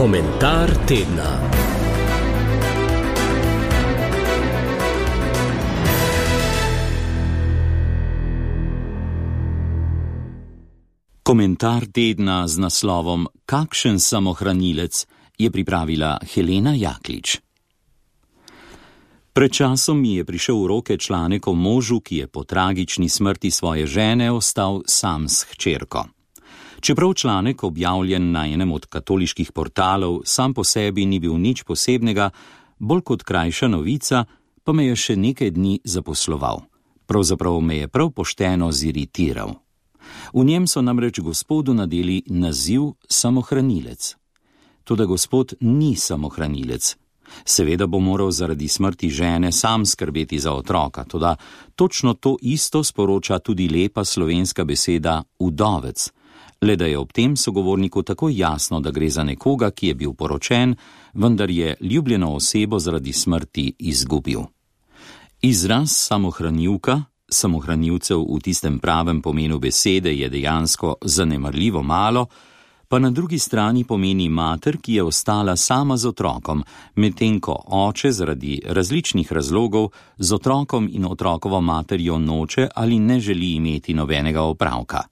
Komentar tedna. Komentar tedna z naslovom Kakšen samohranilec je pripravila Helena Jaklič. Pred časom mi je prišel v roke članek o možu, ki je po tragični smrti svoje žene ostal sam s hčerko. Čeprav članek, objavljen na enem od katoliških portalov, sam po sebi ni bil nič posebnega, bolj kot krajša novica, pa me je še nekaj dni zaposloval. Pravzaprav me je prav pošteno ziritiral. V njem so namreč gospodu nadeli naziv samohranilec. Toda gospod ni samohranilec. Seveda bo moral zaradi smrti žene sam skrbeti za otroka, toda točno to isto sporoča tudi lepa slovenska beseda vdovec, le da je ob tem sogovorniku tako jasno, da gre za nekoga, ki je bil poročen, vendar je ljubljeno osebo zaradi smrti izgubil. Izraz samohranilka, samohranilcev v tistem pravem pomenu besede je dejansko zanemarljivo malo, pa na drugi strani pomeni mater, ki je ostala sama z otrokom, medtem ko oče zaradi različnih razlogov z otrokom in otrokovo materjo noče ali ne želi imeti nobenega opravka.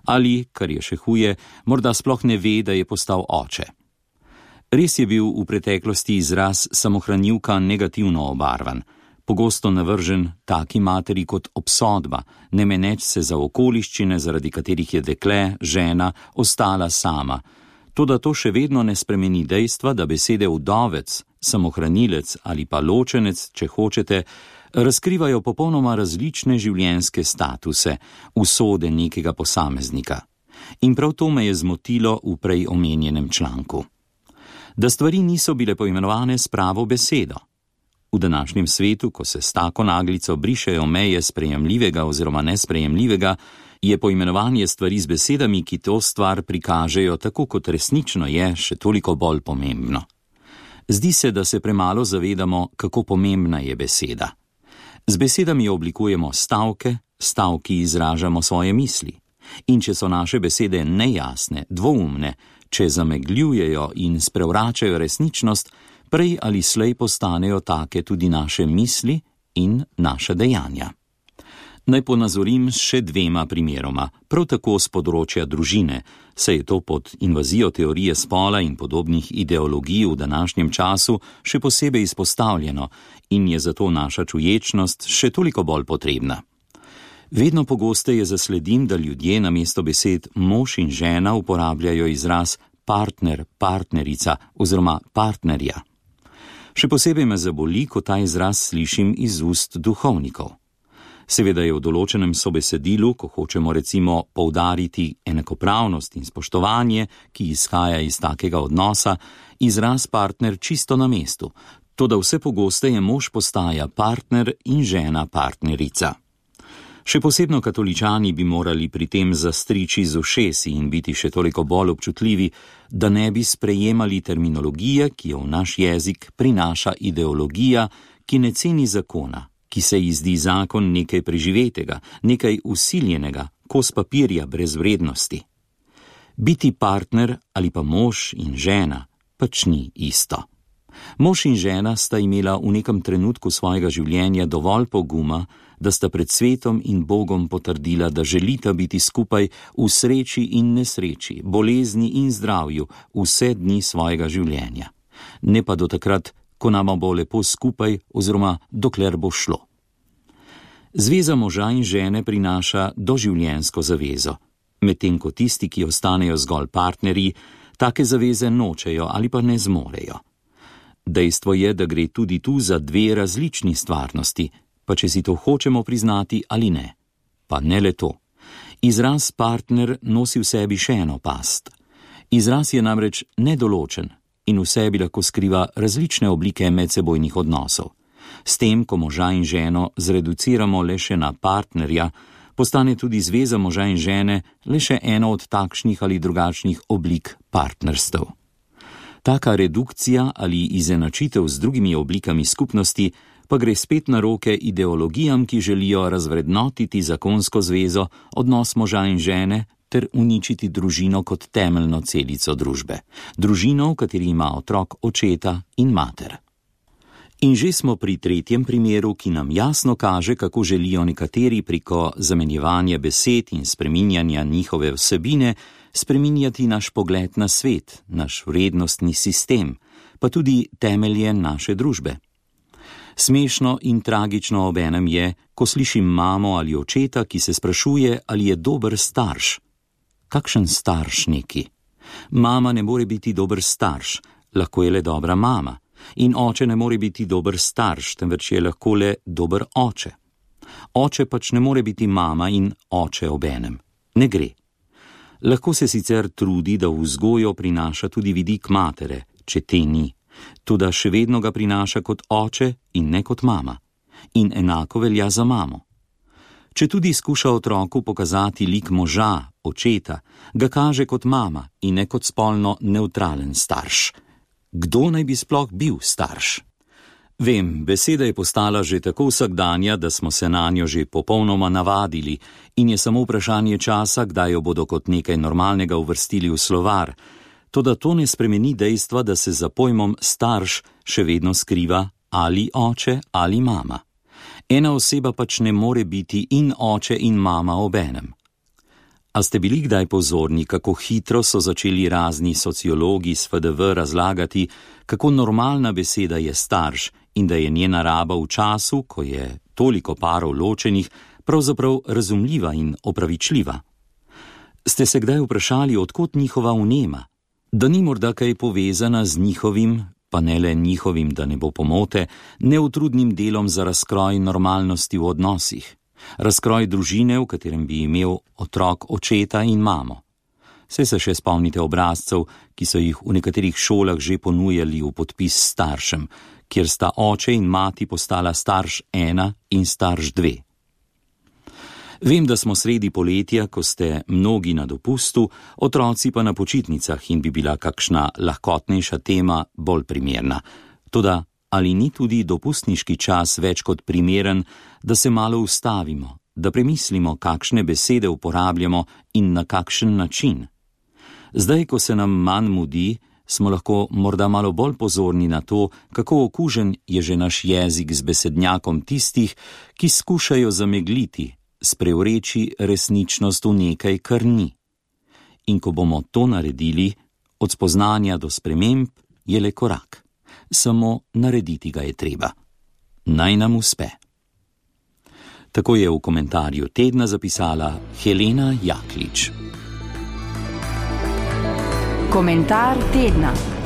Ali, kar je še huje, morda sploh ne ve, da je postal oče. Res je bil v preteklosti izraz samohranilka negativno obarvan, pogosto navržen taki materi kot obsodba, ne meneč se za okoliščine, zaradi katerih je dekle, žena, ostala sama. Toda to še vedno ne spremeni dejstva, da besede vdovec, samohranilec ali pa ločenec, če hočete, razkrivajo popolnoma različne življenjske statuse, usode nekega posameznika. In prav to me je zmotilo v prej omenjenem članku. Da stvari niso bile poimenovane s pravo besedo. V današnjem svetu, ko se s tako naglico brišejo meje sprejemljivega oziroma nesprejemljivega, je poimenovanje stvari z besedami, ki to stvar prikažejo tako, kot resnično je, še toliko bolj pomembno. Zdi se, da se premalo zavedamo, kako pomembna je beseda. Z besedami oblikujemo stavke, stavki izražamo svoje misli. In če so naše besede nejasne, dvoumne, če zamegljujejo in sprevračajo resničnost, prej ali slej postanejo take tudi naše misli in naša dejanja. Naj ponazorim s še dvema primeroma, prav tako z področja družine, saj je to pod invazijo teorije spola in podobnih ideologij v današnjem času še posebej izpostavljeno in je zato naša čuječnost še toliko bolj potrebna. Vedno pogosteje zasledim, da ljudje namesto besed mož in žena uporabljajo izraz partner, partnerica oziroma partnerja. Še posebej me zaboli, ko ta izraz slišim iz ust duhovnikov. Seveda je v določenem sobesedilu, ko hočemo recimo poudariti enakopravnost in spoštovanje, ki izhaja iz takega odnosa, izraz partner čisto na mestu, toda vse pogosteje mož postaja partner in žena partnerica. Še posebno katoličani bi morali pri tem zastriči z ušesi in biti še toliko bolj občutljivi, da ne bi sprejemali terminologije, ki jo v naš jezik prinaša ideologija, ki ne ceni zakona, ki se ji zdi zakon nekaj preživetega, nekaj usiljenega, kos papirja brez vrednosti. Biti partner ali pa mož in žena pač ni isto. Mož in žena sta imela v nekem trenutku svojega življenja dovolj poguma, da sta pred svetom in Bogom potrdila, da želita biti skupaj v sreči in nesreči, bolezni in zdravju vse dni svojega življenja. Ne pa do takrat, ko nama bo lepo skupaj oziroma dokler bo šlo. Zveza moža in žene prinaša doživljenjsko zavezo, medtem ko tisti, ki ostanejo zgolj partnerji, take zaveze nočejo ali pa ne zmorejo. Dejstvo je, da gre tudi tu za dve različni stvarnosti, pa če si to hočemo priznati ali ne. Pa ne le to. Izraz partner nosi v sebi še eno past. Izraz je namreč nedoločen in v sebi lahko skriva različne oblike medsebojnih odnosov. S tem, ko moža in ženo zreduciramo le še na partnerja, postane tudi zveza moža in žene le še eno od takšnih ali drugačnih oblik partnerstev. Taka redukcija ali izenačitev z drugimi oblikami skupnosti pa gre spet na roke ideologijam, ki želijo razvrednotiti zakonsko zvezo, odnos moža in žene, ter uničiti družino kot temeljno celico družbe. Družino, v kateri ima otrok očeta in mater. In že smo pri tretjem primeru, ki nam jasno kaže, kako želijo nekateri preko zamenjevanja besed in spreminjanja njihove vsebine spreminjati naš pogled na svet, naš vrednostni sistem, pa tudi temelje naše družbe. Smešno in tragično obenem je, ko slišim mamo ali očeta, ki se sprašuje, ali je dober starš. Kakšen starš neki? Mama ne more biti dober starš, lahko je le dobra mama. In oče ne more biti dober starš, temveč je lahko le dober oče. Oče pač ne more biti mama in oče obenem. Ne gre. Lahko se sicer trudi, da v vzgojo prinaša tudi vidik matere, če te ni. Toda še vedno ga prinaša kot oče in ne kot mama. In enako velja za mamo. Če tudi skuša otroku pokazati lik moža, očeta, ga kaže kot mama in ne kot spolno nevtralen starš. Kdo naj bi sploh bil starš? Vem, beseda je postala že tako vsakdanja, da smo se nanjo že popolnoma navadili in je samo vprašanje časa, kdaj jo bodo kot nekaj normalnega uvrstili v slovar. Toda to ne spremeni dejstva, da se za pojmom starš še vedno skriva ali oče ali mama. Ena oseba pač ne more biti in oče in mama obenem. A ste bili kdaj pozorni, kako hitro so začeli razni sociologi s FDV razlagati, kako normalna beseda je starš in da je njena raba v času, ko je toliko parov ločenih, pravzaprav razumljiva in opravičljiva? Ste se kdaj vprašali, odkot njihova vnema? Da ni morda kaj povezana z njihovim, pa ne le njihovim, da ne bo pomote, neutrudnim delom za razkroj normalnosti v odnosih? Razkroj družine, v katerem bi imel otrok očeta in mamo. Saj se še spomnite obrazcev, ki so jih v nekaterih šolah že ponujali v podpis staršem, kjer sta oče in mati postala starš 1 in starš 2. Vem, da smo sredi poletja, ko ste mnogi na dopustu, otroci pa na počitnicah in bi bila kakšna lahkotnejša tema bolj primerna. Toda ali ni tudi dopustniški čas več kot primeren, da se malo ustavimo, da premislimo, kakšne besede uporabljamo in na kakšen način? Zdaj, ko se nam manj mudi, smo lahko morda malo bolj pozorni na to, kako okužen je že naš jezik z besednjakom tistih, ki skušajo zamegliti, sprevreči resničnost v nekaj, kar ni. In ko bomo to naredili, od spoznanja do sprememb je le korak. Samo narediti ga je treba. Naj nam uspe. Tako je v komentarju tedna zapisala Helena Jaklič. Komentar tedna.